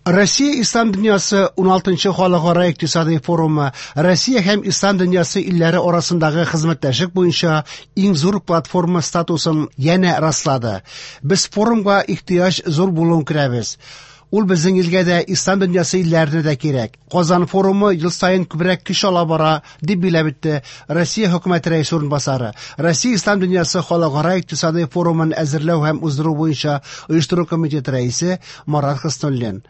Россия Ислам дөньясы 16нчы халыкара икътисади форумы Россия һәм Ислам дөньясы илләре арасындагы хезмәттәшлек буенча иң зур платформа статусын янә раслады. Без форумга ихтыяҗ зур булуын күрәбез. Ул безнең илгә дә, Ислам дөньясы илләренә дә кирәк. Казан форумы ел саен күбрәк көч ала бара, дип билгеләп үтте Россия хөкүмәте рәисе урынбасары, Россия Ислам дөньясы халыкара икътисади форумын әзерләү һәм уздыру буенча оештыру комитеты рәисе Марат Хөснуллин.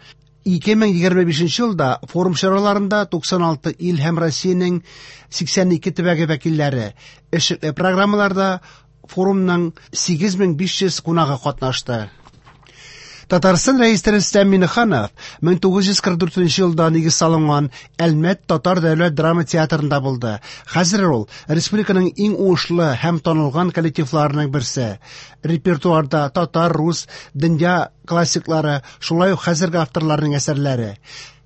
2025 елда форум чараларында 96 ил һәм Россиянең 82 төбәге вәкилләре эшлекле программаларда форумның 8500 кунагы катнашты. Татарстан Рәисе Рөстәм Миңнеханов 1944 елда нигез салынган Әлмәт татар дәүләт драма театрында булды. Хәзер ул республиканың иң уңышлы һәм танылган коллективларының берсе. Репертуарда татар, рус, дөнья классиклары, шулай ук хәзерге авторларның әсәрләре.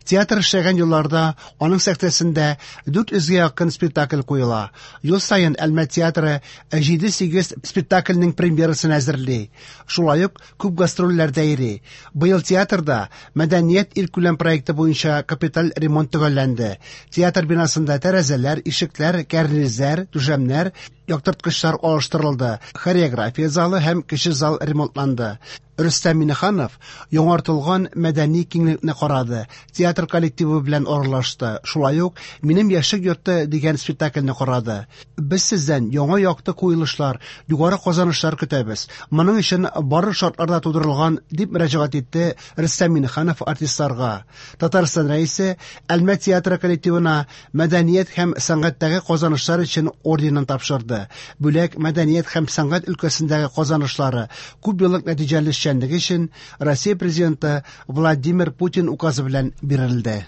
Театр эшләгән елларда аның сәхнәсендә 400 гә якын спектакль куела. Ел саен Әлмәт театры 7-8 спектакльнең премьерасын әзерли. Шулай ук күп гастрольләрдә йөри. Быел театрда Мәдәният илкүләм проекты буенча капиталь ремонт төгәлләнде. Театр бинасында тәрәзәләр, ишекләр, кәрнизләр, түшәмнәр, яктырткычлар алыштырылды, хореография залы һәм кече зал ремонтланды. Рөстәм Миңнеханов яңартылган мәдәни киңлекне карады, театр коллективы белән аралашты, шулай ук «Минем яшьлек йорты» дигән спектакльне карады. Без сездән яңа якты куелышлар, югары казанышлар көтәбез. Моның өчен барлык шартлар да тудырылган, дип мөрәҗәгать итте Рөстәм Миңнеханов артистларга. Татарстан Рәисе Әлмәт театры коллективына Мәдәният һәм сәнгатьтәге казанышлар өчен орденын тапшырды. Бүләк мәдәният һәм сәнгать өлкәсендәге казанышлары, күп еллык нәтиҗәле эшчәнлеге өчен Россия Президенты Владимир Путин указы белән бирелде.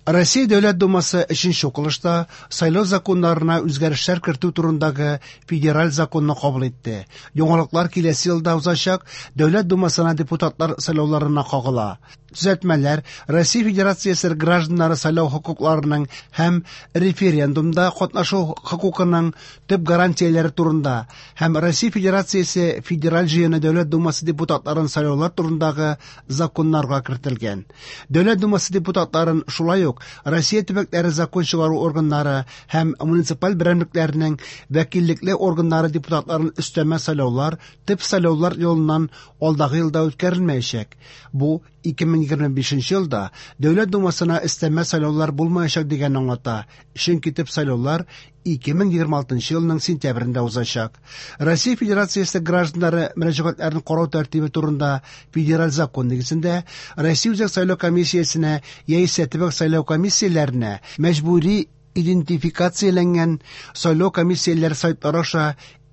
Россия Дәүләт Думасы өченче укылышта сайлау законнарына үзгәрешләр кертү турындагы федераль законны кабул итте. Яңалыклар киләсе елда узачак Дәүләт Думасына депутатлар сайлауларына кагыла. Төзәтмәләр Россия Федерациясе гражданнары сайлау хокукларының һәм референдумда катнашу хокукының төп гарантияләре турында һәм Россия Федерациясе Федераль Җыены Дәүләт Думасы депутатларын сайлаулар турындагы законнарга кертелгән. Дәүләт Думасы депутатларын шулай ук Россия төбәкләре закон чыгару органнары һәм муниципаль берәмлекләренең вәкиллекле органнары депутатларын өстәмә сайлаулар төп сайлаулар юлыннан алдагы елда үткәрелмәячәк. Бу 2025 елда Дәүләт Думасына өстәмә сайлаулар булмаячак дигәнне аңлата, чөнки төп сайлаулар 2026 елның сентябрендә узачак. Россия Федерациясе гражданнары мөрәҗәгатьләрен карау тәртибе турында федераль закон нигезендә Россия Үзәк сайлау комиссиясенә яисә төбәк сайлау комиссияләренә мәҗбүри идентификацияләнгән сайлау комиссияләре сайтлары аша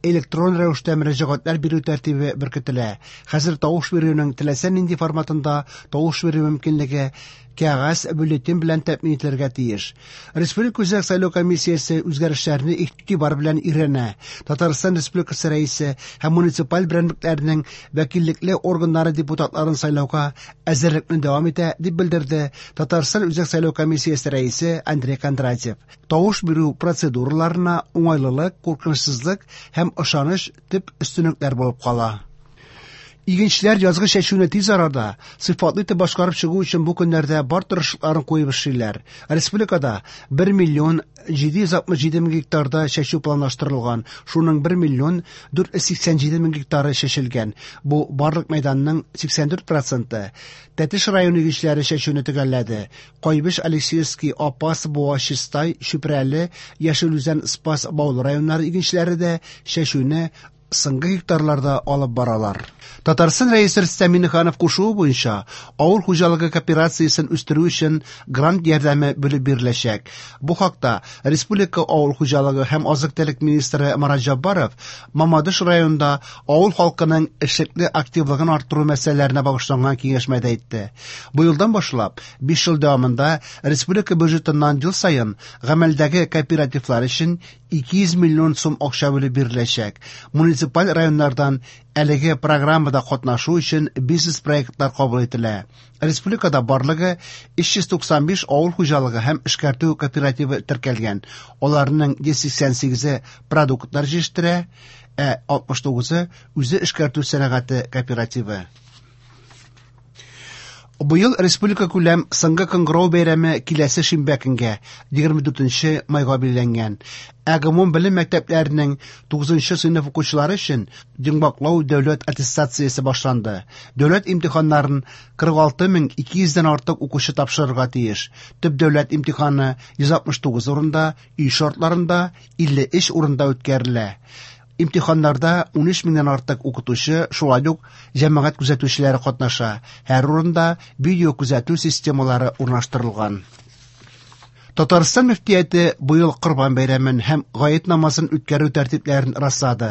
электрон рәвештә мөрәҗәгатьләр бирү тәртибе беркетелә. Хәзер тавыш бирүнең теләсә нинди форматында тавыш бирү мөмкинлеге кәгазь бюллетень белән тәэмин ителергә тиеш. Республика Үзәк сайлау комиссиясе үзгәрешләрне игътибар белән өйрәнә. Татарстан Республикасы Рәисе һәм муниципаль берәмлекләрнең вәкиллекле органнары депутатларын сайлауга әзерлекне дәвам итә, дип белдерде Татарстан Үзәк сайлау комиссиясе рәисе Андрей Кондратьев. Тавыш бирү процедураларына уңайлылык, куркынычсызлык һәм ышаныч төп өстенлекләр булып кала. Игенчеләр язгы чәчүне тиз арада, сыйфатлы итеп башкарып чыгу өчен бу көннәрдә бар тырышлыкларын куеп эшлиләр. Республикада 1 миллион 767 мең гектарда чәчү планлаштырылган, шуның 1 миллион 487 мең гектары чәчелгән. Бу барлык мәйданның 84 проценты. Тәтеш районы игенчеләре чәчүне төгәлләде. Кайбыч, Алексеевский, Апас, Буа, Чистай, Чүпрәле, Яшел Үзән, Спас, Баулы районнары игенчеләре дә чәчүне соңгы гектарларда алып баралар. Татарстан Рәисе Рөстәм Миңнеханов кушуы буенча авыл хуҗалыгы кооперациясен үстерү өчен грант ярдәме бүлеп биреләчәк. Бу хакта республика авыл хуҗалыгы һәм азык-төлек министры Марат Җаббаров Мамадыш районында авыл халкының эшлекле активлыгын арттыру мәсьәләләренә багышланган киңәшмәдә әйтте. Бу елдан башлап 5 ел дәвамында республика бюджетыннан ел саен гамәлдәге кооперативлар өчен 200 миллион сум акча бүлеп биреләчәк. Муниципаль районнардан әлеге программада катнашу өчен бизнес-проектлар кабул ителә. Республикада барлыгы 395 авыл хуҗалыгы һәм эшкәртү кооперативы теркәлгән. Аларның 188-е продуктлар җитештерә, ә 69-ы үзе эшкәртү сәнәгате кооперативы. Быел республикакүләм Соңгы кыңгырау бәйрәме киләсе шимбә көнгә, 24 майга билгеләнгән. Ә гомумбелем мәктәпләренең 9 сыйныф укучылары өчен йомгаклау дәүләт аттестациясе башланды. Дәүләт имтиханнарын 46 200 дән артык укучы тапшырырга тиеш. Төп дәүләт имтиханы 169 урында, өй шартларында 53 урында үткәрелә. Имтиханнарда 13 меңнән артык укытучы, шулай ук җәмәгать күзәтүчеләре катнаша. Һәр урында видеокүзәтү системалары урнаштырылган. Татарстан мөфтияте быел Корбан бәйрәмен һәм гает намазын үткәрү тәртипләрен раслады.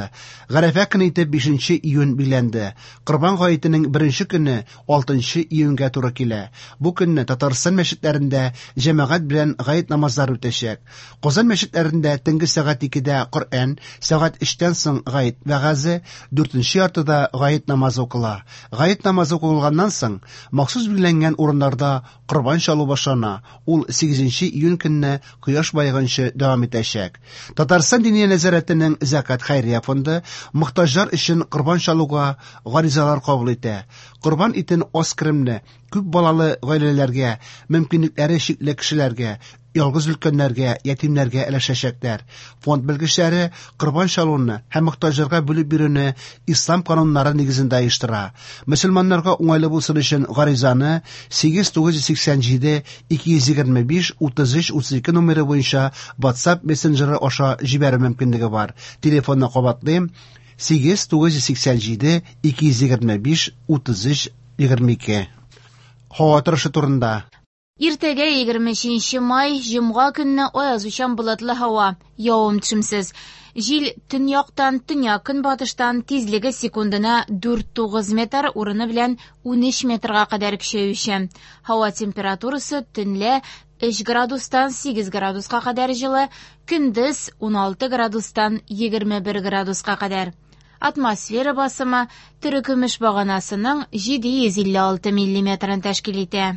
Гарәфә көне итеп 5 июнь билгеләнде. Корбан гаетенең беренче көне 6 июньгә туры килә. Бу көнне Татарстан мәчетләрендә җәмәгать белән гает намазлары үтәчәк. Казан мәчетләрендә төнге сәгать 2дә Коръән, сәгать 3тән соң гает вәгазе, 4нче яртыда гает намазы укыла. Гает намазы укылганнан соң махсус билгеләнгән урыннарда корбан чалу башлана. Ул 8 июнь көнне кояш баеганчы дәвам итәчәк. Татарстан Диния нәзарәтенең Зәкат хәйрия фонды мохтаҗлар өчен корбан чалуга гаризалар кабул итә. Корбан итен аз керемле, күп балалы гаиләләргә, мөмкинлекләре чикле кешеләргә, ялгыз өлкәннәргә, ятимнәргә өләшәчәкләр. Фонд белгечләре корбан чалуны һәм мохтаҗларга бүлеп бирүне ислам кануннары нигезендә оештыра. Мөселманнарга уңайлы булсын өчен гаризаны 8 987 225 33 32 номеры буенча WhatsApp мессенджеры аша җибәрү мөмкинлеге бар. Телефонны кабатлыйм: 8 987 225 33 22. Һава торышы турында. Иртәгә 23 май, җомга көнне аязучан болытлы һава, явым-төшемсез. Җил төньяктан, төньяк-көнбатыштан, тизлеге секундына 4-9 метр, урыны белән 13 метрга кадәр көчәючән. Һава температурасы төнлә 3 градустан 8 градуска кадәр җылы, көндез 16 градустан 21 градуска кадәр. Атмосфера басымы терекөмеш баганасының 756 миллиметрын тәшкил итә.